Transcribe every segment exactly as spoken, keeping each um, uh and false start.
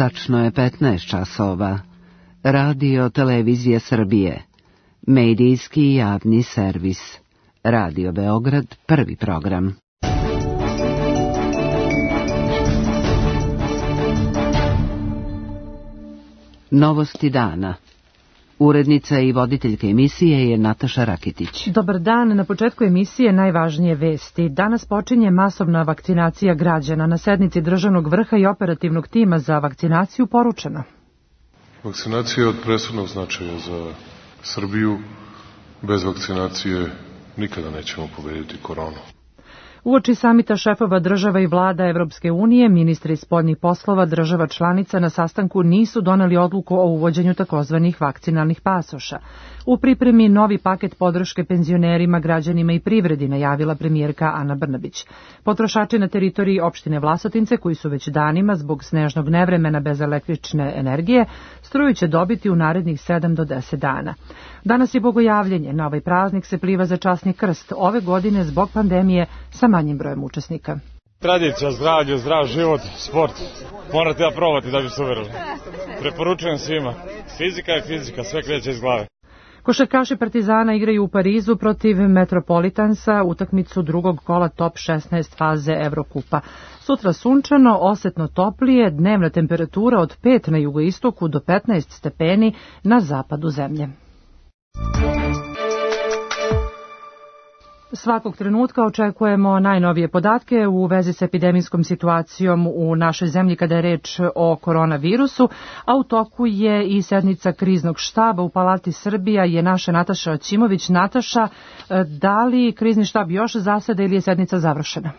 Tačno je petnaest časova. Radio Televizije Srbije. Medijski javni servis. Radio Beograd, prvi program. Novosti dana. Urednica i voditeljka emisije je Nataša Rakitić. Dobar dan, na početku emisije najvažnije vesti. Danas počinje masovna vakcinacija građana. Na sednici državnog vrha i operativnog tima za vakcinaciju poručeno. Vakcinacija je od presudnog značaja za Srbiju. Bez vakcinacije nikada nećemo pobediti koronu. Uoči samita šefova država i vlada Evropske unije, ministri spoljnih poslova država članica na sastanku nisu doneli odluku o uvođenju takozvanih vakcinalnih pasoša. U pripremi novi paket podrške penzionerima, građanima i privredi, najavila premijerka Ana Brnabić. Potrošači na teritoriji opštine Vlasotince, koji su već danima zbog snežnog nevremena bez električne energije, struju će dobiti u narednih sedam do deset dana. Danas je Bogojavljenje. Na ovaj praznik se pliva za časni krst. Ove godine zbog pandemije sa manjim brojem učesnika. Tradicija, zdravlje, zdrav život, sport. Morate da probati da bi se uverili. Preporučujem svima. Fizika je fizika, sve kreće iz glave. Košarkaši Partizana igraju u Parizu protiv Metropolitansa, utakmicu drugog kola top šesnaest faze Evrokupa. Sutra sunčano, osetno toplije, dnevna temperatura od pet na jugoistoku do petnaest stepeni na zapadu zemlje. Svakog trenutka očekujemo najnovije podatke u vezi s epidemijskom situacijom u našoj zemlji kada je reč o koronavirusu, a u toku je i sednica kriznog štaba u Palati Srbija je naša Nataša Ćimović. Nataša, da li krizni štab još zaseda ili je sednica završena?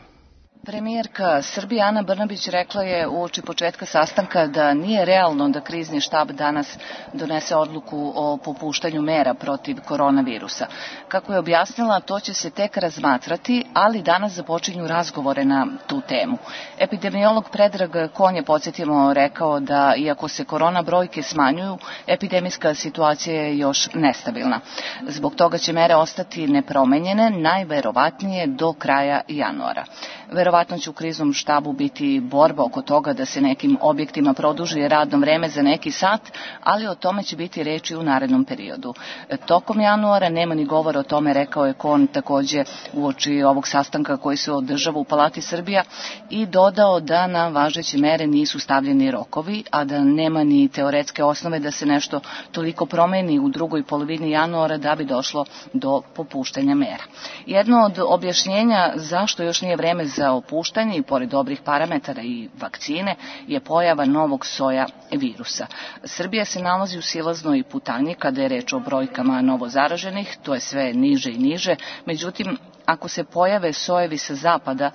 Premijerka Srbije Ana Brnabić rekla je uoči početka sastanka da nije realno da krizni štab danas donese odluku o popuštanju mera protiv koronavirusa. Kako je objasnila, to će se tek razmatrati, ali danas započinju razgovore na tu temu. Epidemiolog Predrag Kon je, podsjetimo, rekao da iako se korona brojke smanjuju, epidemijska situacija je još nestabilna. Zbog toga će mere ostati nepromenjene, najverovatnije do kraja januara. Verovatno će u kriznom štabu biti borba oko toga da se nekim objektima produži radno vreme za neki sat, ali o tome će biti reči u narednom periodu. Tokom januara nema ni govora o tome, rekao je Kon takođe uoči ovog sastanka koji se održava u Palati Srbija i dodao da na važeće mere nisu stavljeni rokovi, a da nema ni teoretske osnove da se nešto toliko promeni u drugoj polovini januara da bi došlo do popuštanja mera. Jedno od objašnjenja zašto još nije vreme za opuštanje i pored dobrih parametara i vakcine je pojava novog soja virusa. Srbija se nalazi u silaznoj putanji kada je reč o brojkama novozaraženih, to je sve niže i niže, međutim, ako se pojave sojevi sa zapada,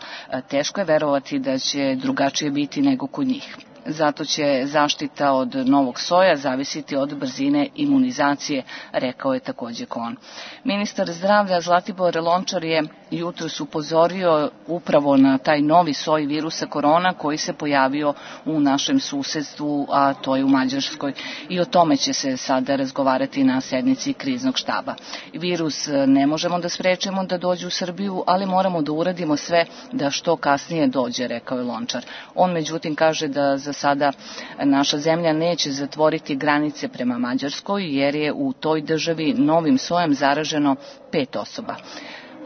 teško je verovati da će drugačije biti nego kod njih. Zato će zaštita od novog soja zavisiti od brzine imunizacije, rekao je takođe Kon. Ministar zdravlja Zlatibor Lončar je jutros upozorio upravo na taj novi soj virusa korona koji se pojavio u našem susedstvu, a to je u Mađarskoj. I o tome će se sada razgovarati na sednici kriznog štaba. Virus ne možemo da sprečimo da dođe u Srbiju, ali moramo da uradimo sve da što kasnije dođe, rekao je Lončar. On međutim kaže da za sada naša zemlja neće zatvoriti granice prema Mađarskoj jer je u toj državi novim sojem zaraženo pet osoba.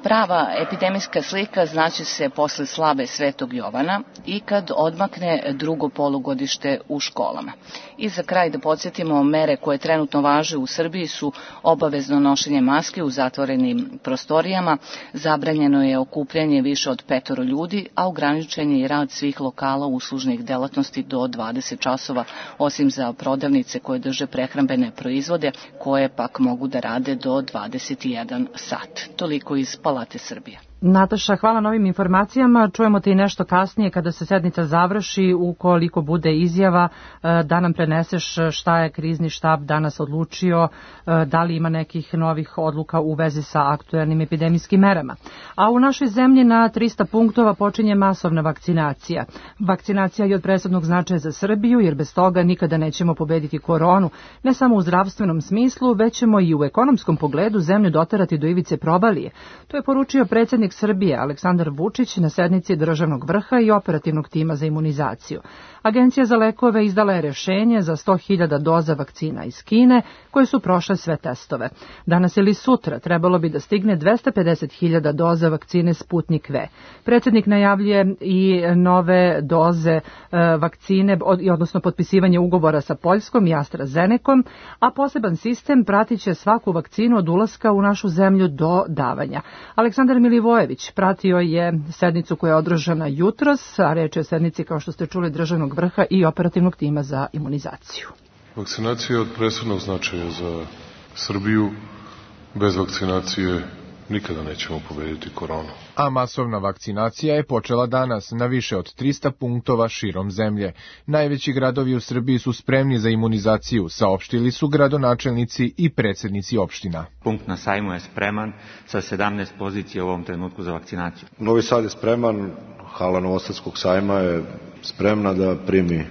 Prava epidemijska slika znaće se posle slave Svetog Jovana i kad odmakne drugo polugodište u školama. I za kraj da podsjetimo, mere koje trenutno važe u Srbiji su obavezno nošenje maske u zatvorenim prostorijama, zabranjeno je okupljanje više od petoro ljudi, a ograničen je i rad svih lokala uslužnih delatnosti do dvadeset časova, osim za prodavnice koje drže prehrambene proizvode, koje pak mogu da rade do dvadeset jedan sat. Toliko iz Palate Srbije. Nataša, hvala na ovim informacijama. Čujemo te i nešto kasnije kada se sednica završi, ukoliko bude izjava da nam preneseš šta je krizni štab danas odlučio, da li ima nekih novih odluka u vezi sa aktuelnim epidemijskim merama. A u našoj zemlji na trista punktova počinje masovna vakcinacija. Vakcinacija je od presudnog značaja za Srbiju, jer bez toga nikada nećemo pobediti koronu, ne samo u zdravstvenom smislu, već ćemo i u ekonomskom pogledu zemlju doterati do ivice probalije. To je poručio predsjednik Srbije Aleksandar Vučić na sednici državnog vrha i operativnog tima za imunizaciju. Agencija za lekove izdala je rešenje za sto hiljada doza vakcina iz Kine koje su prošle sve testove. Danas ili sutra trebalo bi da stigne dvesta pedeset hiljada doza vakcine Sputnik V. Predsjednik najavljuje i nove doze vakcine, odnosno potpisivanje ugovora sa Poljskom i AstraZenecom, a poseban sistem pratit će svaku vakcinu od ulaska u našu zemlju do davanja. Aleksandar Milivojević pratio je sednicu koja je održana jutros, a reč je o sednici, kao što ste čuli, državnog vrha i operativnog tima za imunizaciju. Vakcinacija je od presudnog značaja za Srbiju. Bez vakcinacije nikada nećemo pobediti koronu. A masovna vakcinacija je počela danas na više od trista punktova širom zemlje. Najveći gradovi u Srbiji su spremni za imunizaciju, saopštili su gradonačelnici i predsjednici opština. Punkt na Sajmu je spreman sa sedamnaest pozicija u ovom trenutku za vakcinaciju. Novi Sad je spreman, hala Novosadskog sajma je spremna da primi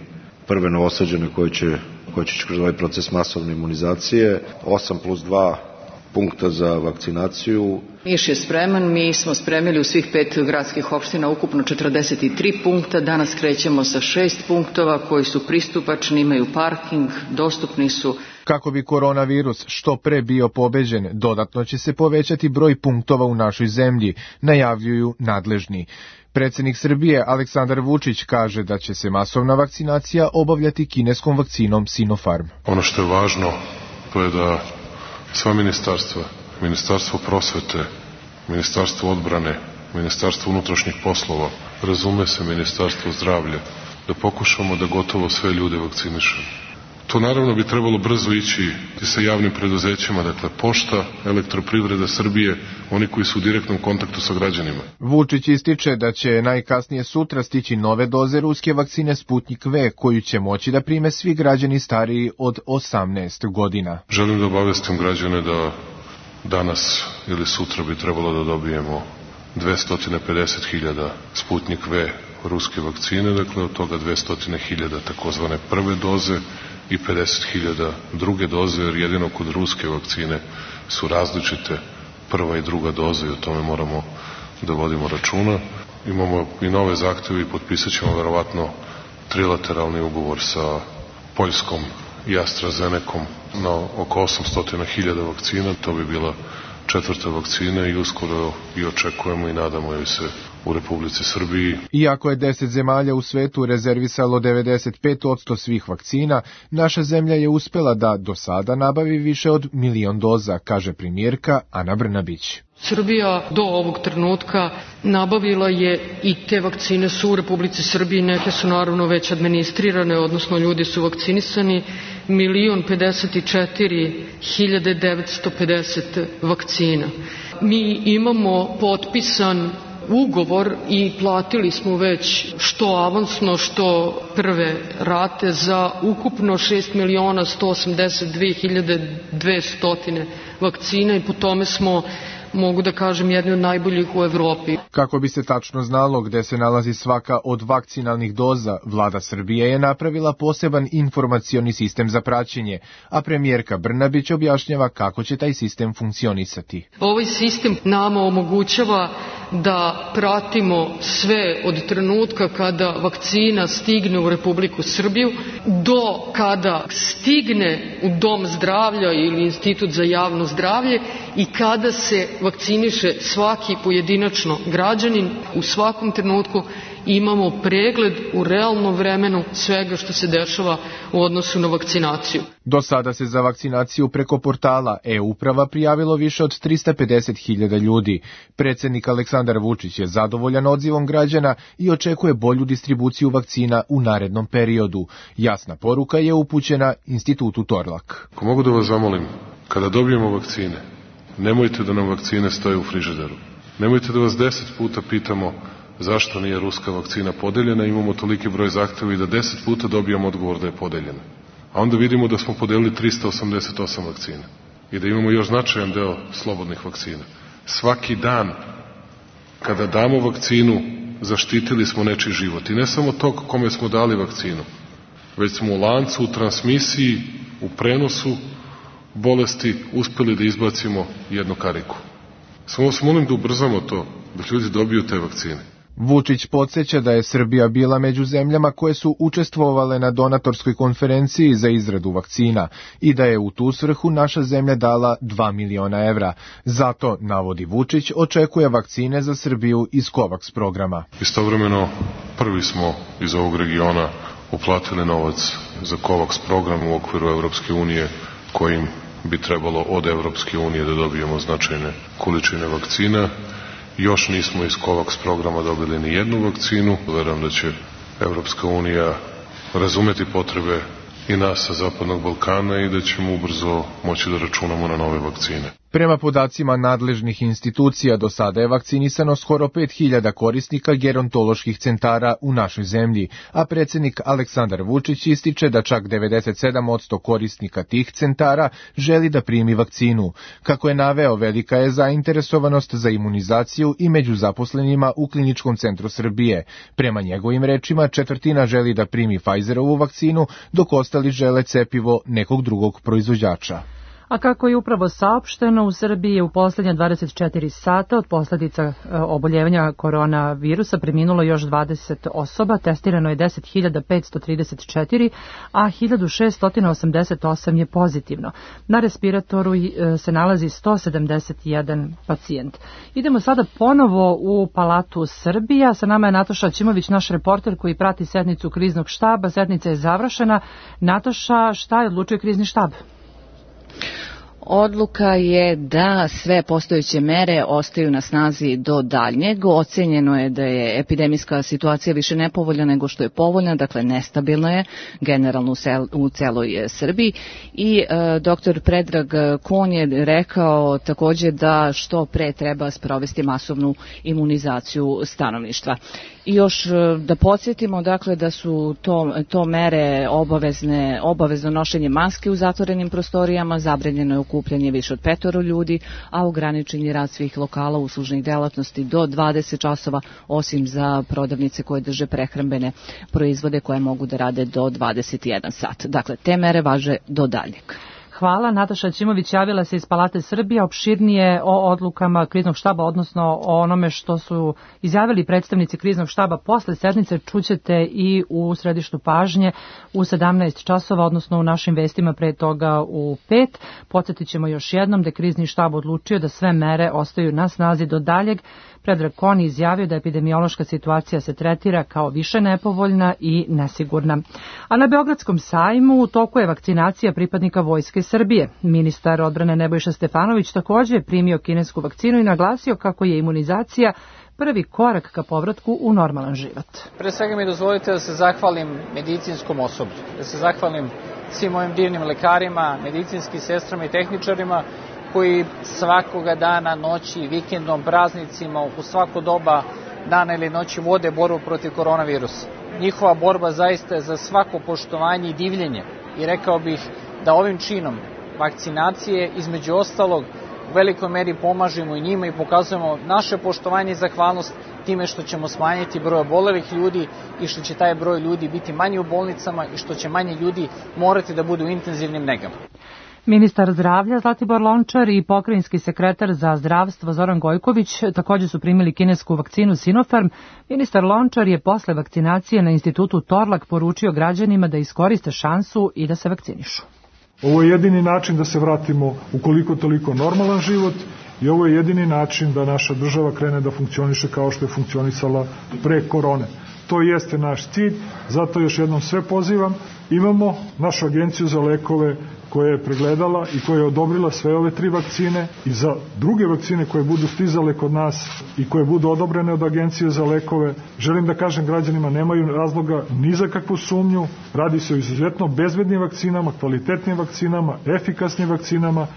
prve novosađene koji će, koji će kroz ovaj proces masovne imunizacije. osam plus dva punkta za vakcinaciju. Niš je spreman, mi smo spremili u svih pet gradskih opština ukupno četrdeset tri punkta, danas krećemo sa šest punktova koji su pristupačni, imaju parking, dostupni su. Kako bi koronavirus što pre bio pobeđen, dodatno će se povećati broj punktova u našoj zemlji, najavljuju nadležni. Predsjednik Srbije Aleksandar Vučić kaže da će se masovna vakcinacija obavljati kineskom vakcinom Sinopharm. Ono što je važno, to je da sva ministarstva, Ministarstvo prosvete, Ministarstvo odbrane, Ministarstvo unutrašnjih poslova, razume se Ministarstvo zdravlja, da pokušamo da gotovo sve ljude vakcinišemo. To naravno bi trebalo brzo ići i sa javnim preduzećima, dakle Pošta, Elektroprivreda Srbije, oni koji su u direktnom kontaktu sa građanima. Vučić ističe da će najkasnije sutra stići nove doze ruske vakcine Sputnik V, koju će moći da prime svi građani stariji od osamnaest godina. Želim da obavestim građane da danas ili sutra bi trebalo da dobijemo dvesta pedeset hiljada Sputnik V ruske vakcine, dakle od toga dvesta hiljada takozvane prve doze i pedeset hiljada druge doze, jer jedino kod ruske vakcine su različite prva i druga doza i o tome moramo da vodimo računa. Imamo i nove zahteve i potpisat ćemo verovatno trilateralni ugovor sa Poljskom i AstraZenecom na oko osamsto hiljada vakcina. To bi bila četvrta vakcina i uskoro i očekujemo i nadamo joj se u Republici Srbiji. Iako je deset zemalja u svetu rezervisalo devedeset pet posto svih vakcina, naša zemlja je uspela da do sada nabavi više od milion doza, kaže premijerka Ana Brnabić. Srbija do ovog trenutka nabavila je i te vakcine su u Republici Srbiji, neke su naravno već administrirane, odnosno ljudi su vakcinisani, milion pedeset četiri hiljade devetsto pedeset vakcina. Mi imamo potpisan ugovor i platili smo već što avansno, što prve rate za ukupno šest miliona sto osamdeset dve hiljade dvesta vakcina i po tome smo, mogu da kažem, jedni od najboljih u Evropi. Kako bi se tačno znalo gde se nalazi svaka od vakcinalnih doza, vlada Srbije je napravila poseban informacioni sistem za praćenje, a premijerka Brnabić objašnjava kako će taj sistem funkcionisati. Ovaj sistem nama omogućava da pratimo sve od trenutka kada vakcina stigne u Republiku Srbiju do kada stigne u Dom zdravlja ili Institut za javno zdravlje i kada se vakciniše svaki pojedinačno građanin. U svakom trenutku imamo pregled u realnom vremenu svega što se dešava u odnosu na vakcinaciju. Do sada se za vakcinaciju preko portala e-uprava prijavilo više od trista pedeset hiljada ljudi. Predsjednik Aleksandar Vučić je zadovoljan odzivom građana i očekuje bolju distribuciju vakcina u narednom periodu. Jasna poruka je upućena Institutu Torlak. Ako mogu da vas zamolim, kada dobijemo vakcine, nemojte da nam vakcine stoje u frižideru. Nemojte da vas deset puta pitamo zašto nije ruska vakcina podeljena, imamo toliki broj zahteva i da deset puta dobijamo odgovor da je podeljena. A onda vidimo da smo podelili trista osamdeset osam vakcina i da imamo još značajan deo slobodnih vakcina. Svaki dan kada damo vakcinu, zaštitili smo nečiji život. I ne samo tog kome smo dali vakcinu, već smo u lancu, u transmisiji, u prenosu bolesti uspeli da izbacimo jednu kariku. Samo vas molim da ubrzamo to, da ljudi dobiju te vakcine. Vučić podsjeća da je Srbija bila među zemljama koje su učestvovale na donatorskoj konferenciji za izradu vakcina i da je u tu svrhu naša zemlja dala dva miliona evra. Zato, navodi Vučić, očekuje vakcine za Srbiju iz COVAX programa. Istovremeno, prvi smo iz ovog regiona uplatili novac za COVAX program u okviru Evropske unije, kojim bi trebalo od Evropske unije da dobijemo značajne količine vakcina. Još nismo iz COVAX programa dobili ni jednu vakcinu. Verujem da će Evropska unija razumeti potrebe i nas sa Zapadnog Balkana i da ćemo ubrzo moći da računamo na nove vakcine. Prema podacima nadležnih institucija, do sada je vakcinisano skoro pet hiljada korisnika gerontoloških centara u našoj zemlji, a predsjednik Aleksandar Vučić ističe da čak devedeset sedam posto korisnika tih centara želi da primi vakcinu. Kako je naveo, velika je zainteresovanost za imunizaciju i među zaposlenima u Kliničkom centru Srbije. Prema njegovim rečima, četvrtina želi da primi Pfizerovu vakcinu, dok ostali žele cepivo nekog drugog proizvođača. A kako je upravo saopšteno, u Srbiji je u posljednja dvadeset četiri sata od posljedica oboljevanja koronavirusa preminulo još dvadeset osoba, testirano je deset hiljada petsto trideset četiri, a hiljadu šessto osamdeset osam je pozitivno. Na respiratoru se nalazi sto sedamdeset jedan pacijent. Idemo sada ponovo u Palatu Srbija. Sa nama je Nataša Ćimović, naš reporter koji prati sednicu kriznog štaba. Sednica je završena. Nataša, šta je odlučio krizni štab? Odluka je da sve postojeće mere ostaju na snazi do daljnjeg. Ocenjeno je da je epidemijska situacija više nepovoljna nego što je povoljna, dakle nestabilna je generalno u, sel, u celoj Srbiji. I e, doktor Predrag Kon je rekao također da što pre treba sprovesti masovnu imunizaciju stanovništva. I još da podsjetimo, dakle, da su to, to mere obavezne, obavezno nošenje maske u zatvorenim prostorijama, zabranjeno je okupljanje više od petoro ljudi, a ograničen je rad svih lokala uslužnih delatnosti do dvadeset časova, osim za prodavnice koje drže prehrambene proizvode koje mogu da rade do dvadeset jedan sat. Dakle, te mere važe do daljnjeg. Hvala. Nataša Ćimović javila se iz Palate Srbije, opširnije o odlukama kriznog štaba, odnosno o onome što su izjavili predstavnici kriznog štaba posle sednice, čućete i u središtu pažnje u sedamnaest časova, odnosno u našim vestima pre toga u pet. Podsjetit ćemo još jednom da je krizni štab odlučio da sve mere ostaju na snazi do daljeg. Predrag Kon izjavio da epidemiološka situacija se tretira kao više nepovoljna i nesigurna. A na Beogradskom sajmu u toku je vakcinacija pripadnika Vojske Srbije. Ministar odbrane Nebojša Stefanović također je primio kinesku vakcinu i naglasio kako je imunizacija prvi korak ka povratku u normalan život. Pre svega mi dozvolite da se zahvalim medicinskom osoblju, da se zahvalim svim mojim divnim lekarima, medicinskim sestrama i tehničarima koji svakoga dana, noći, vikendom, praznicima, u svako doba dana ili noći vode borbu protiv koronavirusa. Njihova borba zaista je za svako poštovanje i divljenje. I rekao bih da ovim činom vakcinacije, između ostalog, u velikoj meri pomažemo i njima i pokazujemo naše poštovanje i zahvalnost time što ćemo smanjiti broj obolelih ljudi i što će taj broj ljudi biti manji u bolnicama i što će manje ljudi morati da budu u intenzivnim negama. Ministar zdravlja Zlatibor Lončar i pokrajinski sekretar za zdravstvo Zoran Gojković također su primili kinesku vakcinu Sinopharm. Ministar Lončar je posle vakcinacije na institutu Torlak poručio građanima da iskoriste šansu i da se vakcinišu. Ovo je jedini način da se vratimo u koliko toliko normalan život i ovo je jedini način da naša država krene da funkcioniše kao što je funkcionisala pre korone. To jeste naš cilj, zato još jednom sve pozivam. Imamo našu agenciju za lekove koja je pregledala i koja je odobrila sve ove tri vakcine i za druge vakcine koje budu stizale kod nas i koje budu odobrene od agencije za lekove. Želim da kažem građanima, nemaju razloga ni za kakvu sumnju, radi se o izuzetno bezbednim vakcinama, kvalitetnim vakcinama, efikasnim vakcinama.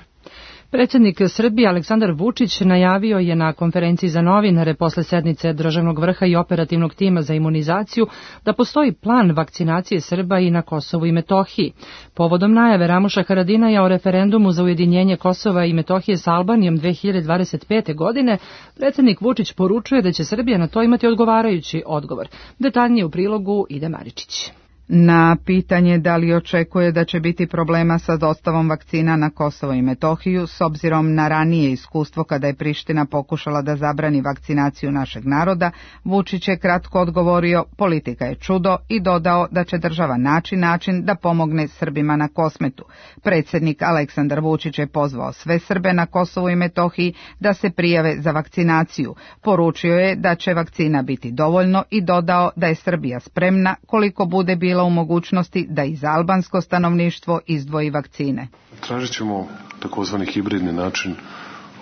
Predsjednik Srbije Aleksandar Vučić najavio je na konferenciji za novinare posle sednice državnog vrha i operativnog tima za imunizaciju da postoji plan vakcinacije Srba i na Kosovu i Metohiji. Povodom najave Ramuša Haradinaja o referendumu za ujedinjenje Kosova i Metohije s Albanijom dve hiljade dvadeset pete. godine, predsjednik Vučić poručuje da će Srbija na to imati odgovarajući odgovor. Detaljnije u prilogu Ide Maričić. Na pitanje da li očekuje da će biti problema sa dostavom vakcina na Kosovo i Metohiju, s obzirom na ranije iskustvo kada je Priština pokušala da zabrani vakcinaciju našeg naroda, Vučić je kratko odgovorio: politika je čudo, i dodao da će država naći način da pomogne Srbima na Kosmetu. Predsjednik Aleksandar Vučić je pozvao sve Srbe na Kosovu i Metohiji da se prijave za vakcinaciju. Poručio je da će vakcina biti dovoljno i dodao da je Srbija spremna koliko bude bila u mogućnosti da i za albansko stanovništvo izdvoji vakcine. Tražit ćemo takozvani hibridni način,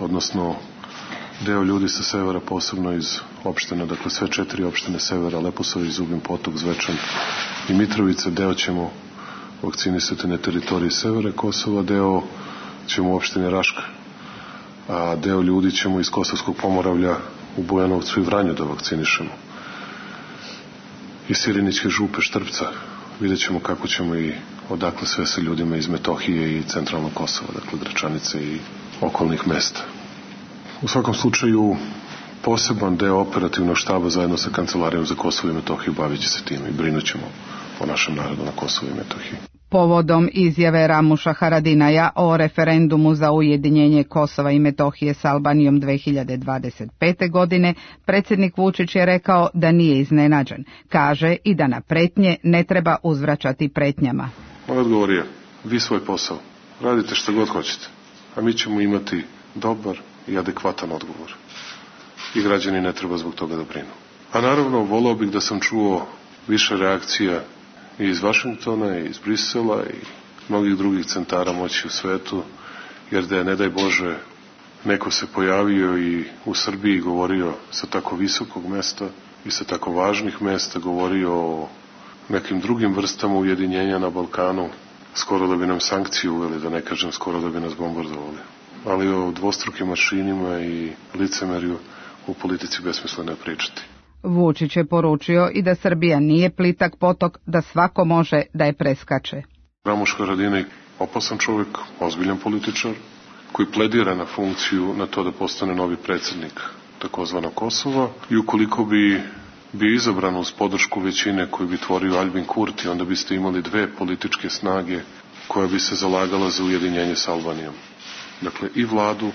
odnosno deo ljudi sa severa, posebno iz opština, dakle sve četiri opštine severa, Leposavić, Zubin Potok, Zvečan i Mitrovica, deo ćemo vakcinisati na teritoriji severa Kosova, deo ćemo u opštini Raška, a deo ljudi ćemo iz Kosovskog Pomoravlja u Bujanovcu i Vranju da vakcinišemo. Iz Sirinićke župe, Štrpca, vidjet ćemo kako ćemo i odakle sve sa ljudima iz Metohije i centralnog Kosova, dakle Gračanice i okolnih mesta. U svakom slučaju, poseban deo operativnog štaba zajedno sa Kancelarijom za Kosovo i Metohiju bavit će se tim i brinut ćemo o našem narodu na Kosovo i Metohiji. Povodom izjave Ramuša Haradinaja o referendumu za ujedinjenje Kosova i Metohije s Albanijom dve hiljade dvadeset pete. godine, predsjednik Vučić je rekao da nije iznenađen. Kaže i da na pretnje ne treba uzvraćati pretnjama. Moj odgovor je: vi svoj posao, radite što god hoćete, a mi ćemo imati dobar i adekvatan odgovor. I građani ne treba zbog toga da brinu. A naravno, volao bih da sam čuo više reakcija i iz Vašingtona, i iz Brisela, i mnogih drugih centara moći u svetu, jer da je, ne daj Bože, neko se pojavio i u Srbiji govorio sa tako visokog mesta i sa tako važnih mesta, govorio o nekim drugim vrstama ujedinjenja na Balkanu, skoro da bi nam sankcije uveli, da ne kažem skoro da bi nas bombardovali. Ali o dvostrukim mašinima i licemerju u politici besmisleno je pričati. Vučić je poručio i da Srbija nije plitak potok, da svako može da je preskače. Ramuš Haradinaj, opasan čovjek, ozbiljan političar, koji pledira na funkciju, na to da postane novi predsjednik takozvanog Kosova, i ukoliko bi bio izabran uz podršku većine koju bi tvorio Albin Kurti, onda biste imali dve političke snage koja bi se zalagala za ujedinjenje s Albanijom. Dakle, i vladu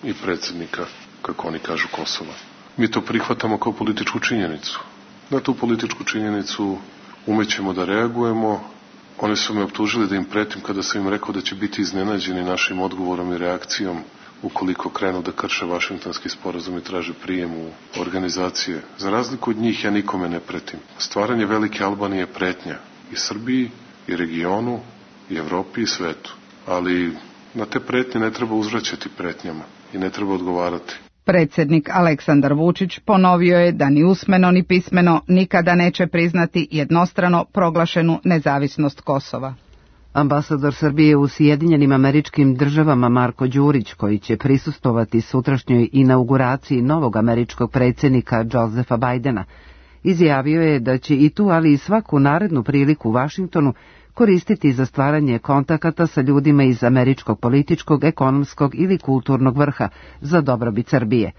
i predsjednika, kako oni kažu, Kosova. Mi to prihvatamo kao političku činjenicu. Na tu političku činjenicu umećemo da reagujemo. Oni su me optužili da im pretim kada sam im rekao da će biti iznenađeni našim odgovorom i reakcijom ukoliko krenu da krše Vašingtonski sporazum i traže prijem u organizacije. Za razliku od njih, ja nikome ne pretim. Stvaranje velike Albanije je pretnja i Srbiji, i regionu, i Evropi, i svetu. Ali na te pretnje ne treba uzvraćati pretnjama i ne treba odgovarati. Predsjednik Aleksandar Vučić ponovio je da ni usmeno ni pismeno nikada neće priznati jednostrano proglašenu nezavisnost Kosova. Ambasador Srbije u Sjedinjenim Američkim Državama Marko Đurić, koji će prisustvovati sutrašnjoj inauguraciji novog američkog predsjednika Josefa Bajdena, izjavio je da će i tu, ali i svaku narednu priliku u Vašingtonu koristiti za stvaranje kontakata sa ljudima iz američkog političkog, ekonomskog ili kulturnog vrha za dobrobit Srbije.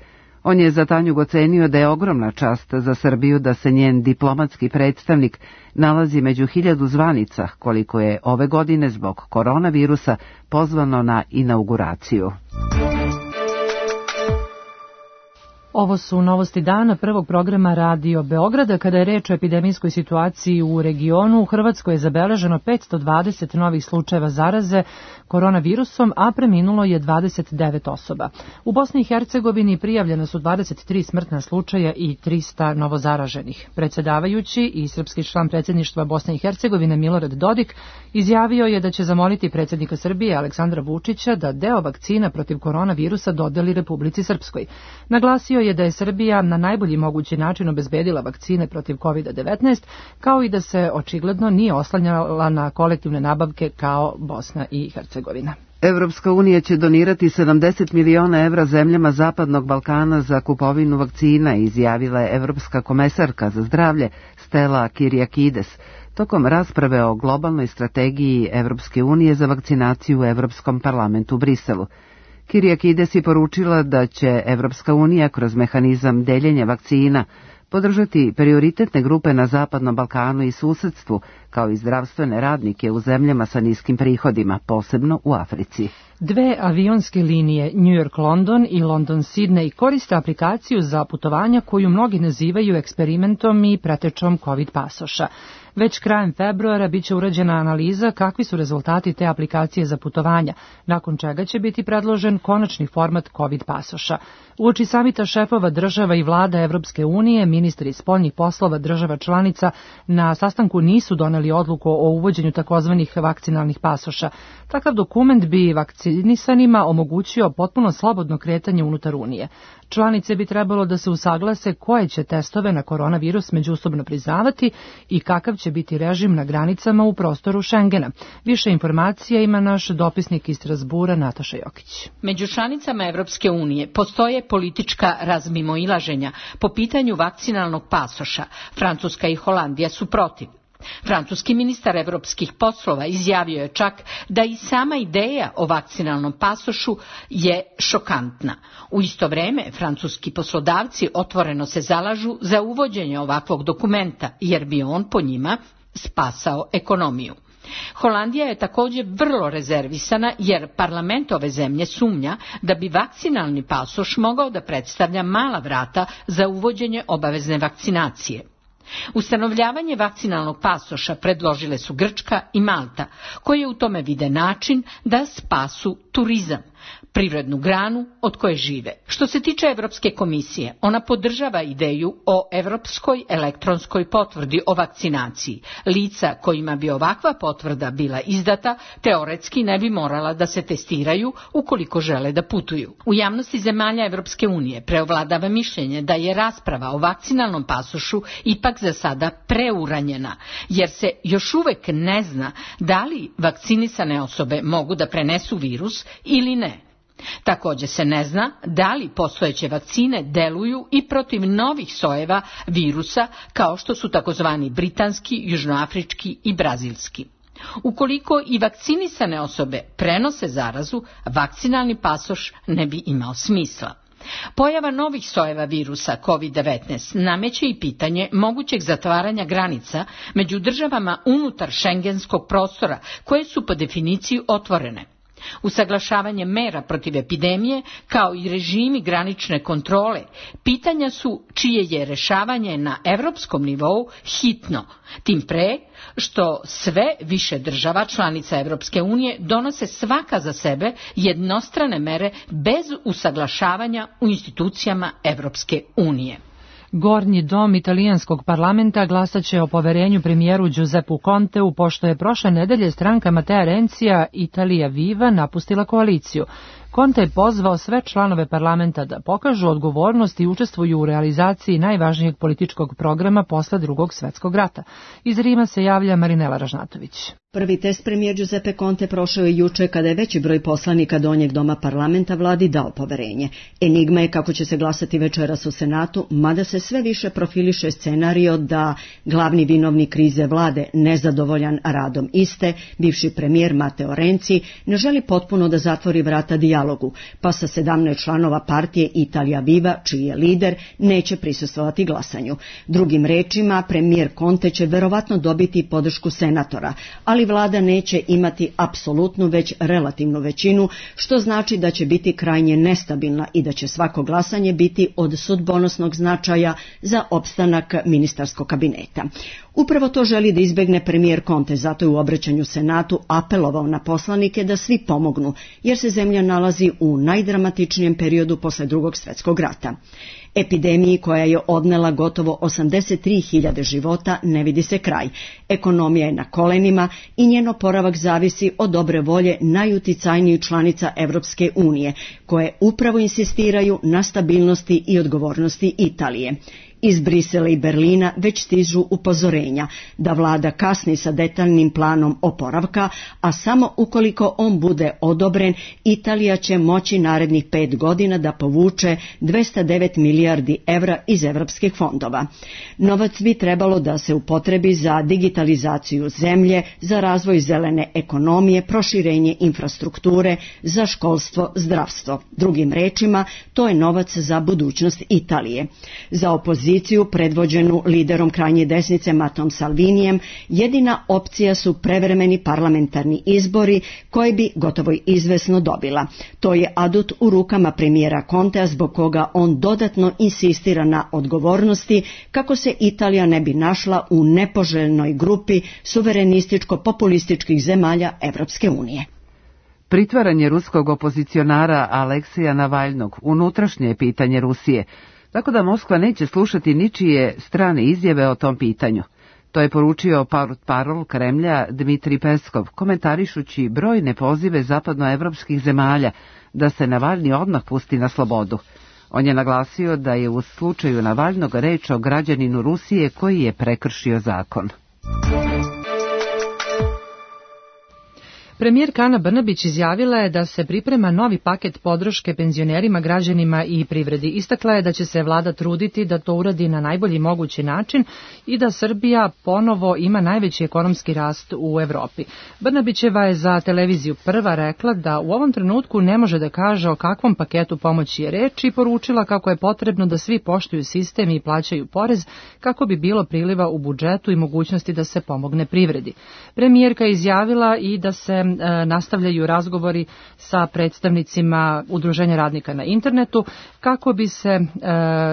On je za Tanjug ocenio da je ogromna čast za Srbiju da se njen diplomatski predstavnik nalazi među hiljadu zvanica, koliko je ove godine zbog koronavirusa pozvano na inauguraciju. Ovo su novosti dana prvog programa Radio Beograda. Kada je reč o epidemijskoj situaciji u regionu, u Hrvatskoj je zabeleženo petsto dvadeset novih slučajeva zaraze koronavirusom, a preminulo je dvadeset devet osoba. U Bosni i Hercegovini prijavljena su dvadeset tri smrtna slučaja i trista novozaraženih. Predsjedavajući i srpski član predsjedništva Bosne i Hercegovine Milorad Dodik izjavio je da će zamoliti predsjednika Srbije Aleksandra Vučića da deo vakcina protiv koronavirusa dodeli Republici Srpskoj. Naglasio je da je Srbija na najbolji mogući način obezbedila vakcine protiv kovid devetnaest, kao i da se očigledno nije oslanjala na kolektivne nabavke kao Bosna i Hercegovina. Evropska unija će donirati sedamdeset miliona evra zemljama Zapadnog Balkana za kupovinu vakcina, izjavila je Evropska komesarka za zdravlje Stella Kyriakides tokom rasprave o globalnoj strategiji Evropske unije za vakcinaciju u Evropskom parlamentu u Briselu. Kyriakides je poručila da će Evropska unija kroz mehanizam deljenja vakcina podržati prioritetne grupe na Zapadnom Balkanu i susedstvu, kao i zdravstvene radnike u zemljama sa niskim prihodima, posebno u Africi. Dve avionske linije, New York-London i London-Sydney, koriste aplikaciju za putovanja koju mnogi nazivaju eksperimentom i pretečom COVID pasoša. Već krajem februara biće urađena analiza kakvi su rezultati te aplikacije za putovanja, nakon čega će biti predložen konačni format COVID pasoša. Uoči samita šefova država i vlada Evropske unije, ministri spoljnih poslova država članica na sastanku nisu doneli odluku o uvođenju takozvanih vakcinalnih pasoša. Takav dokument bi vakcinisanima omogućio potpuno slobodno kretanje unutar Unije. Članice bi trebalo da se usaglase koje će testove na koronavirus međusobno priznavati i kakav će biti režim na granicama u prostoru Schengena. Više informacija ima naš dopisnik iz Strasbura Nataša Jokić. Među članicama Evropske unije postoje politička razmimoilaženja po pitanju vakcinalnog pasoša. Francuska i Holandija su protiv. Francuski ministar evropskih poslova izjavio je čak da i sama ideja o vakcinalnom pasošu je šokantna. U isto vreme, francuski poslodavci otvoreno se zalažu za uvođenje ovakvog dokumenta, jer bi on po njima spasao ekonomiju. Holandija je također vrlo rezervisana jer parlament ove zemlje sumnja da bi vakcinalni pasoš mogao da predstavlja mala vrata za uvođenje obavezne vakcinacije. Ustanovljavanje vakcinalnog pasoša predložile su Grčka i Malta, koje u tome vide način da spasu turizam, privrednu granu od koje žive. Što se tiče Evropske komisije, ona podržava ideju o evropskoj elektronskoj potvrdi o vakcinaciji. Lica kojima bi ovakva potvrda bila izdata, teoretski ne bi morala da se testiraju ukoliko žele da putuju. U javnosti zemalja Evropske unije preovladava mišljenje da je rasprava o vakcinalnom pasošu ipak za sada preuranjena, jer se još uvek ne zna da li vakcinisane osobe mogu da prenesu virus ili ne. Također se ne zna da li postojeće vakcine deluju i protiv novih sojeva virusa kao što su takozvani britanski, južnoafrički i brazilski. Ukoliko i vakcinisane osobe prenose zarazu, vakcinalni pasoš ne bi imao smisla. Pojava novih sojeva virusa COVID devetnaest nameće i pitanje mogućeg zatvaranja granica među državama unutar šengenskog prostora, koje su po definiciji otvorene. Usaglašavanje mera protiv epidemije, kao i režimi granične kontrole, pitanja su čije je rešavanje na evropskom nivou hitno, tim pre što sve više država članica Evropske unije donose svaka za sebe jednostrane mere bez usaglašavanja u institucijama Evropske unije. Gornji dom italijanskog parlamenta glasaće o poverenju premijeru Giuseppu Conteu, pošto je prošle nedelje stranka Matteo Renzija Italia Viva napustila koaliciju. Conte je pozvao sve članove parlamenta da pokažu odgovornost i učestvuju u realizaciji najvažnijeg političkog programa posle Drugog svjetskog rata. Iz Rima se javlja Marinela Ražnatović. Prvi test premijer Giuseppe Conte prošao je juče kada je veći broj poslanika donjeg doma parlamenta vladi dao poverenje. Enigma je kako će se glasati večeras u Senatu, mada se sve više profiliše scenario da glavni vinovnik krize vlade, nezadovoljan radom iste, bivši premijer Matteo Renzi, ne želi potpuno da zatvori vrata dijalogu, pa sa sedamnaest članova partije Italia Viva, čiji je lider, neće prisustvovati glasanju. Drugim rečima, premijer Conte će verovatno dobiti podršku senatora, ali vlada neće imati apsolutnu već relativnu većinu, što znači da će biti krajnje nestabilna i da će svako glasanje biti od sudbonosnog značaja za opstanak ministarskog kabineta. Upravo to želi da izbegne premijer Conte, zato je u obraćanju Senatu apelovao na poslanike da svi pomognu, jer se zemlja nalazi u najdramatičnijem periodu posle Drugog svjetskog rata. Epidemiji koja je odnela gotovo osamdeset tri hiljade života ne vidi se kraj. Ekonomija je na kolenima i njen oporavak zavisi od dobre volje najuticajnijih članica Evropske unije, koje upravo insistiraju na stabilnosti i odgovornosti Italije. Iz Brisela i Berlina već stižu upozorenja da vlada kasni sa detaljnim planom oporavka, a samo ukoliko on bude odobren, Italija će moći narednih pet godina da povuče dvesta devet milijardi evra iz evropskih fondova. Novac bi trebalo da se upotrebi za digitalizaciju zemlje, za razvoj zelene ekonomije, proširenje infrastrukture, za školstvo, zdravstvo. Drugim rečima, to je novac za budućnost Italije. Za opoziciju opoziciju predvođenu liderom krajnje desnice Matteom Salvinijem jedina opcija su prevremeni parlamentarni izbori koje bi gotovo izvesno dobila. To je adut u rukama premijera Contea zbog koga on dodatno insistira na odgovornosti kako se Italija ne bi našla u nepoželjnoj grupi suverenističko-populističkih zemalja Evropske unije. Pritvaranje ruskog opozicionara Aleksija Navalnog unutrašnje je pitanje Rusije, tako da Moskva neće slušati ničije strane izjave o tom pitanju. To je poručio portparol Kremlja Dmitrij Peskov, komentarišući brojne pozive zapadnoevropskih zemalja da se Navalni odmah pusti na slobodu. On je naglasio da je u slučaju Navalnog reč o građaninu Rusije koji je prekršio zakon. Premijerka Ana Brnabić izjavila je da se priprema novi paket podrške penzionerima, građanima i privredi. Istakla je da će se vlada truditi da to uradi na najbolji mogući način i da Srbija ponovo ima najveći ekonomski rast u Evropi. Brnabićeva je za televiziju Prva rekla da u ovom trenutku ne može da kaže o kakvom paketu pomoći je reč i poručila kako je potrebno da svi poštuju sistem i plaćaju porez kako bi bilo priliva u budžetu i mogućnosti da se pomogne privredi. Premijerka je izjavila i da se nastavljaju razgovori sa predstavnicima Udruženja radnika na internetu kako bi se e,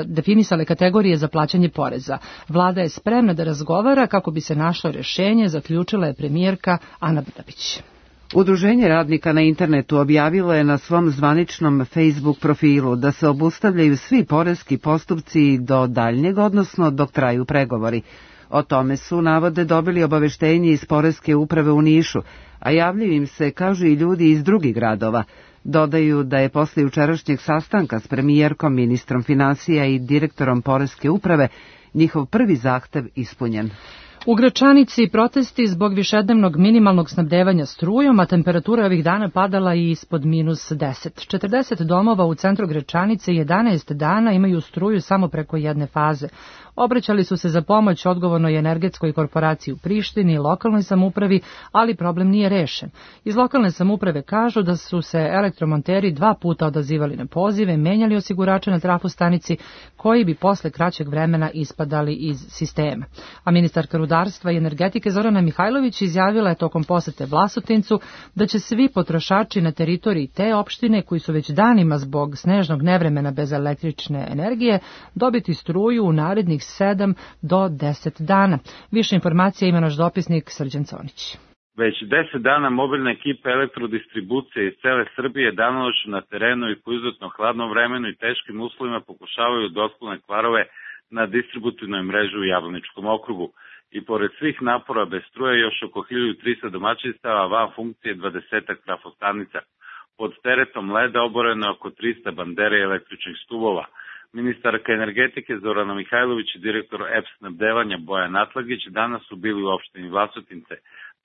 definisale kategorije za plaćanje poreza. Vlada je spremna da razgovara kako bi se našlo rješenje, zaključila je premijerka Ana Brnabić. Udruženje radnika na internetu objavilo je na svom zvaničnom Facebook profilu da se obustavljaju svi poreski postupci do daljnjeg, odnosno dok traju pregovori. O tome su, navode, dobili obaveštenje iz Poreske uprave u Nišu, a javljaju im se, kažu i ljudi iz drugih gradova. Dodaju da je posle jučerašnjeg sastanka s premijerkom, ministrom finansija i direktorom Poreske uprave njihov prvi zahtev ispunjen. U Gračanici protesti zbog višednevnog minimalnog snabdevanja strujom, a temperatura ovih dana padala i ispod minus deset. četrdeset domova u centru Gračanice jedanaest dana imaju struju samo preko jedne faze. Obraćali su se za pomoć odgovornoj energetskoj korporaciji u Prištini i lokalnoj samoupravi, ali problem nije rešen. Iz lokalne samouprave kažu da su se elektromonteri dva puta odazivali na pozive, menjali osigurače na trafostanici, koji bi posle kraćeg vremena ispadali iz sistema. A ministarka rudarstva i energetike Zorana Mihajlović izjavila je tokom posete Vlasotincu da će svi potrošači na teritoriji te opštine, koji su već danima zbog snežnog nevremena bez električne energije, dobiti struju u narednih sedam do deset dana. Više informacija ima naš dopisnik Srđan Conić. Već deset dana mobilne ekipe elektrodistribucije iz cele Srbije danonoćno na terenu i po izuzetno hladnom vremenu i teškim uslovima pokušavaju da otklone kvarove na distributivnoj mreži u Jablaničkom okrugu. I pored svih napora bez struje još oko hiljadu trista domaćinstava van funkcije dvadesetak trafostanica. Pod teretom leda oboreno oko trista bandera i električnih stubova. Ministarka energetike Zorana Mihajlović i direktor E P snabdevanja Bojan Atlagić danas su bili u opštini Vlasotince.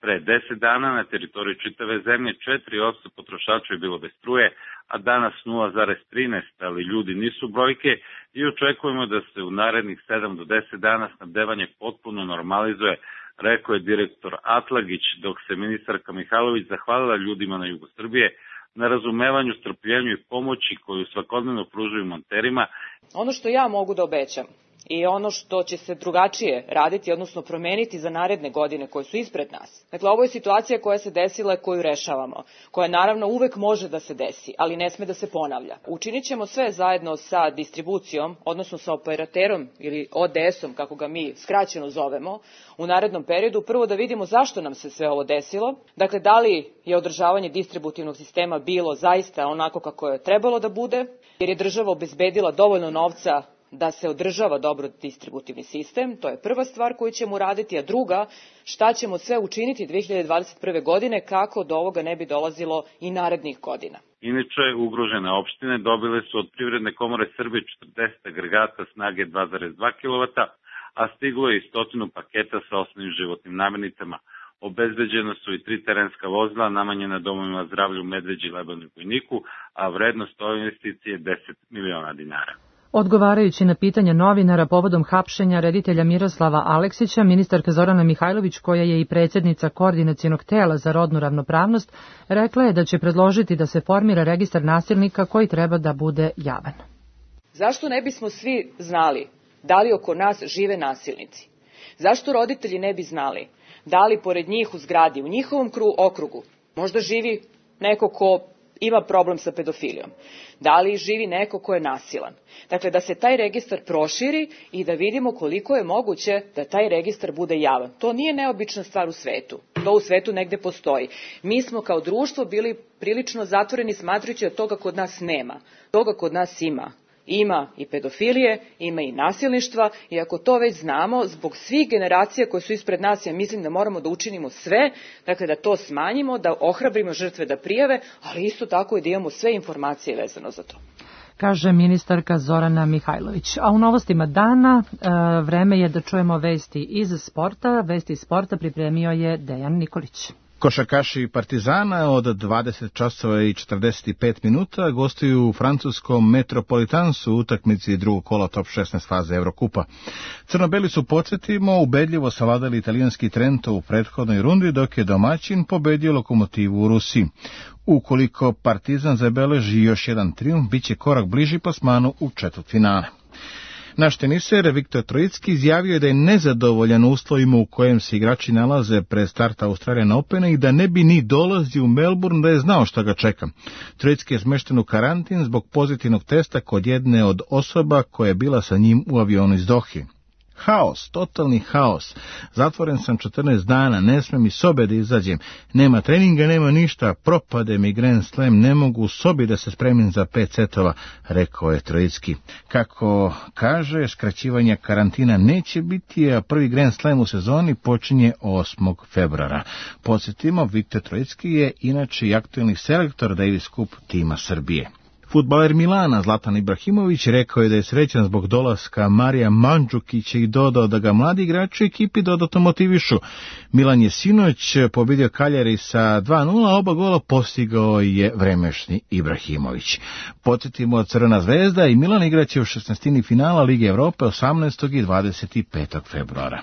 Pre deset dana na teritoriji čitave zemlje četiri posto potrošača je bilo bez struje, a danas nula zarez trinaest, ali ljudi nisu brojke i očekujemo da se u narednih sedam do deset dana snabdevanje potpuno normalizuje, rekao je direktor Atlagić, dok se ministarka Mihajlović zahvalila ljudima na jugu Srbije na razumevanju, strpljenju i pomoći koju svakodnevno pružaju monterima. Ono što ja mogu da obećam i ono što će se drugačije raditi, odnosno promeniti za naredne godine koje su ispred nas. Dakle, ovo je situacija koja se desila i koju rešavamo, koja naravno uvek može da se desi, ali ne sme da se ponavlja. Učinit ćemo sve zajedno sa distribucijom, odnosno sa operaterom ili O D S-om, kako ga mi skraćeno zovemo, u narednom periodu, prvo da vidimo zašto nam se sve ovo desilo, dakle, da li je održavanje distributivnog sistema bilo zaista onako kako je trebalo da bude, jer je država obezbedila dovoljno novca da se održava dobro distributivni sistem, to je prva stvar koju ćemo uraditi, a druga, šta ćemo sve učiniti dve hiljade dvadeset prve. godine kako do ovoga ne bi dolazilo i narednih godina. Inače, ugrožene opštine dobile su od Privredne komore Srbije četrdeset agregata snage dva zarez dva kilovata, a stiglo je i stotinu paketa sa osnovnim životnim namirnicama. Obezbeđena su i tri terenska vozila namenjena domovima zdravlja u Medveđi, Lebanu i Bojniku, a vrednost ove investicije je deset miliona dinara. Odgovarajući na pitanja novinara povodom hapšenja reditelja Miroslava Aleksića, ministarka Zorana Mihajlović, koja je i predsjednica koordinacionog tela za rodnu ravnopravnost, rekla je da će predložiti da se formira registar nasilnika koji treba da bude javan. Zašto ne bismo svi znali Da li oko nas žive nasilnici? Zašto roditelji ne bi znali da li pored njih u zgradi, u njihovom okrugu, možda živi neko ko ima problem sa pedofilijom? Da li živi neko ko je nasilan? Dakle, da se taj registar proširi i da vidimo koliko je moguće da taj registar bude javan. To nije neobična stvar u svetu. To u svetu negde postoji. Mi smo kao društvo bili prilično zatvoreni smatrajući da toga kod nas nema. Toga kod nas ima. Ima i pedofilije, ima i nasilništva i ako to već znamo, zbog svih generacija koje su ispred nas, ja mislim da moramo da učinimo sve, dakle da to smanjimo, da ohrabrimo žrtve da prijave, ali isto tako i da imamo sve informacije vezano za to. Kaže ministarka Zorana Mihajlović. A u novostima dana e, vreme je da čujemo vesti iz sporta. Vesti iz sporta pripremio je Dejan Nikolić. Košarkaši Partizana od dvadeset časova i četrdeset pet minuta gostuju u francuskom Metropolitansu u utakmici drugog kola top šesnaest faze Evrokupa. Crnobeli su, podsjetimo, ubedljivo savladali italijanski Trento u prethodnoj rundi, dok je domaćin pobedio Lokomotivu u Rusiji. Ukoliko Partizan zabeleži još jedan trijumf, bit će korak bliži plasmanu u četvrtfinale. Naš teniser Viktor Trojicki izjavio je da je nezadovoljan uslovima u kojem se igrači nalaze pred starta Australian Opena i da ne bi ni dolazio u Melbourne da je znao šta ga čeka. Trojicki je smešten u karantin zbog pozitivnog testa kod jedne od osoba koja je bila sa njim u avionu iz Dohe. Haos, totalni haos. Zatvoren sam četrnaest dana, ne smem iz sobe da izađem. Nema treninga, nema ništa, propade mi Grand Slam, ne mogu u sobi da se spremim za pet setova, rekao je Trojicki. Kako kaže, skraćivanja karantina neće biti, a prvi Grand Slam u sezoni počinje osmog februara. Podsjetimo, Viktor Trojicki je inače i aktuelni selektor Davis Cup tima Srbije. Fudbaler Milana Zlatan Ibrahimović rekao je da je srećan zbog dolaska Marija Mandžukića i dodao da ga mladi igrači u ekipi dodatno motivišu. Milan je sinoć pobedio Kaljari sa dva nula, oba gola postigao je vremešni Ibrahimović. Podsjetimo, Crvena zvezda i Milan igraće u šesnaestini finala Lige Evrope osamnaestog i dvadeset petog februara.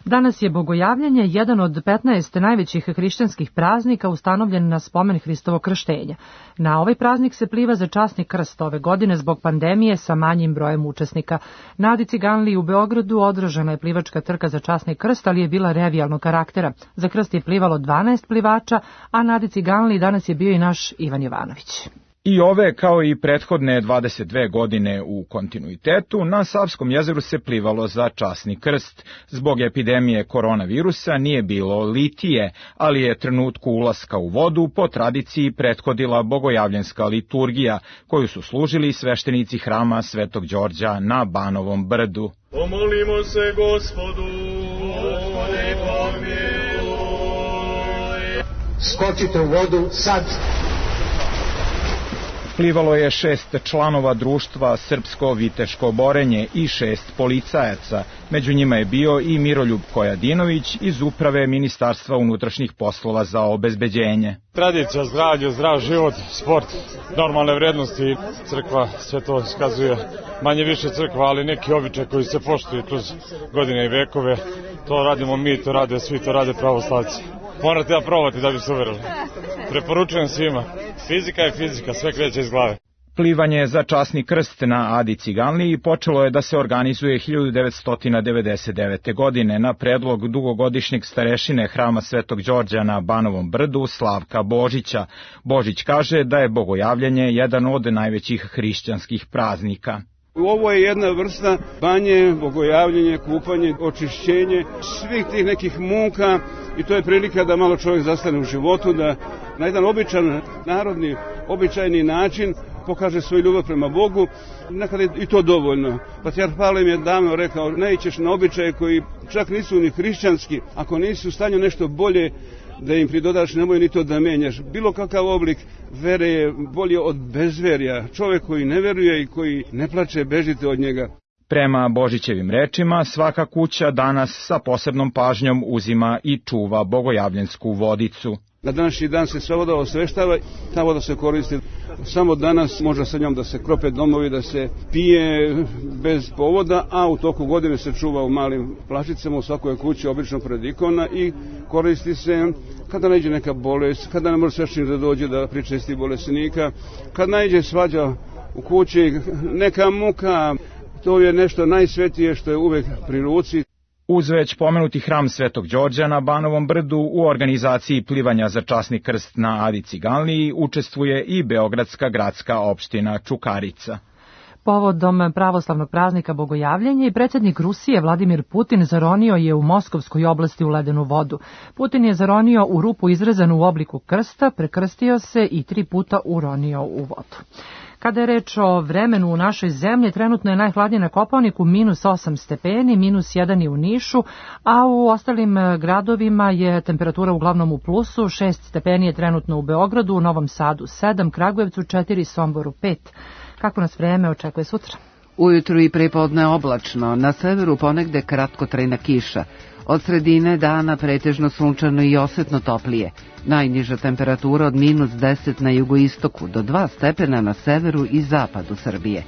Danas je Bogojavljanje, jedan od petnaest najvećih hrišćanskih praznika ustanovljen na spomen Hristovog krštenja. Na ovaj praznik se pliva za časni krst ove godine zbog pandemije sa manjim brojem učesnika. Na Adi Ciganliji u Beogradu održana je plivačka trka za časni krst, ali je bila revijalnog karaktera. Za krst je plivalo dvanaest plivača, a na Adi Ciganliji danas je bio i naš Ivan Jovanović. I ove, kao i prethodne dvadeset dve godine u kontinuitetu, na Savskom jezeru se plivalo za časni krst. Zbog epidemije koronavirusa nije bilo litije, ali je trenutku ulaska u vodu po tradiciji prethodila bogojavljanska liturgija, koju su služili sveštenici hrama Svetog Đorđa na Banovom brdu. Pomolimo se Gospodu, Gospode pomiluj. Skočite u vodu sad. Plivalo je šest članova društva Srpsko viteško borenje i šest policajaca. Među njima je bio i Miroljub Kojadinović iz uprave Ministarstva unutrašnjih poslova za obezbeđenje. Tradicija, zdravlje, zdrav život, sport, normalne vrednosti. Crkva sve to iskazuje, manje više crkva, ali neki običaj koji se poštuju kroz godine i vekove. To radimo mi, to rade svi, to rade pravoslavci. Morate da probati da bi se uverili. Preporučujem svima. Fizika je fizika, sve kreće iz glave. Plivanje za časni krst na Adi Ciganliji počelo je da se organizuje hiljadu devetsto devedeset devete. godine na predlog dugogodišnjeg starešine hrama Svetog Đorđa na Banovom brdu Slavka Božića. Božić kaže da je bogojavljanje jedan od najvećih hrišćanskih praznika. Ovo je jedna vrsta banje, bogojavljenje, kupanje, očišćenje svih tih nekih muka i to je prilika da malo čovjek zastane u životu, da na jedan običan, narodni, običajni način pokaže svoju ljubav prema Bogu. Nekada je i to dovoljno. Patrijarh Pavle mi je davno rekao, naićeš na običaje koji čak nisu ni hrišćanski, ako nisi u stanju nešto bolje da im pridodaš, nemoj ni to da menjaš. Bilo kakav oblik vere je bolje od bezverja. Čovjek koji ne veruje i koji ne plače, bežite od njega. Prema Božićevim rečima, svaka kuća danas sa posebnom pažnjom uzima i čuva bogojavljensku vodicu. Na današnji dan se sva voda osveštava, ta voda se koristi samo danas, može sa njom da se krope domovi, da se pije bez povoda, a u toku godine se čuva u malim plašicama u svakoj kući, obično pred ikona i koristi se kada naiđe neka bolest, kada ne može sveštenik da dođe da pričesti bolesnika, kada naiđe svađa u kući, neka muka, To je nešto najsvetije što je uvek pri ruci. Uz već pomenuti hram Svetog Đorđa na Banovom brdu u organizaciji plivanja za časni krst na Adi Ciganliji učestvuje i Beogradska gradska opština Čukarica. Povodom pravoslavnog praznika Bogojavljenja i predsjednik Rusije Vladimir Putin zaronio je u Moskovskoj oblasti u ledenu vodu. Putin je zaronio u rupu izrezanu u obliku krsta, prekrstio se i tri puta uronio u vodu. Kada je reč o vremenu u našoj zemlji, trenutno je najhladnije na Kopaoniku minus osam stepeni, minus jedan je u Nišu, a u ostalim gradovima je temperatura uglavnom u plusu, šest stepeni je trenutno u Beogradu, u Novom Sadu sedam, Kragujevcu četiri, Somboru pet. Kako nas vreme očekuje sutra? Ujutru i prepodne oblačno, na severu ponegde kratkotrajna kiša. Od sredine dana pretežno sunčano i osetno toplije. Najniža temperatura od minus deset na jugoistoku do dva stepena na severu i zapadu Srbije.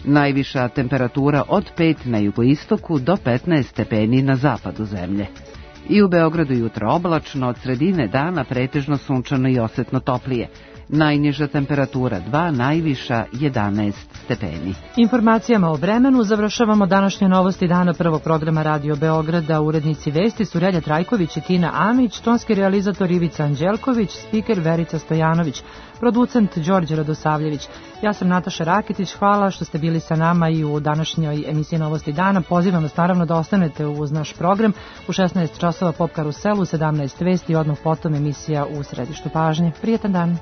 Najviša temperatura od pet na jugoistoku do petnaest stepeni na zapadu zemlje. I u Beogradu jutro oblačno, od sredine dana pretežno sunčano i osetno toplije. Najniža temperatura dva, najviša jedanaest stepeni. Informacijama o vremenu završavamo današnje novosti dana prvog programa Radio Beograda. Urednici vesti su Relja Trajković i Tina Amić, tonski realizator Ivica Anđelković, spiker Verica Stojanović, producent Đorđe Radosavljević. Ja sam Nataša Rakitić, hvala što ste bili sa nama i u današnjoj emisiji Novosti dana. Pozivam vas naravno da ostanete uz naš program. U šesnaest časova Pop Karusel, u sedamnaest vesti i odmah potom emisija U središtu pažnje. Prijetan dan.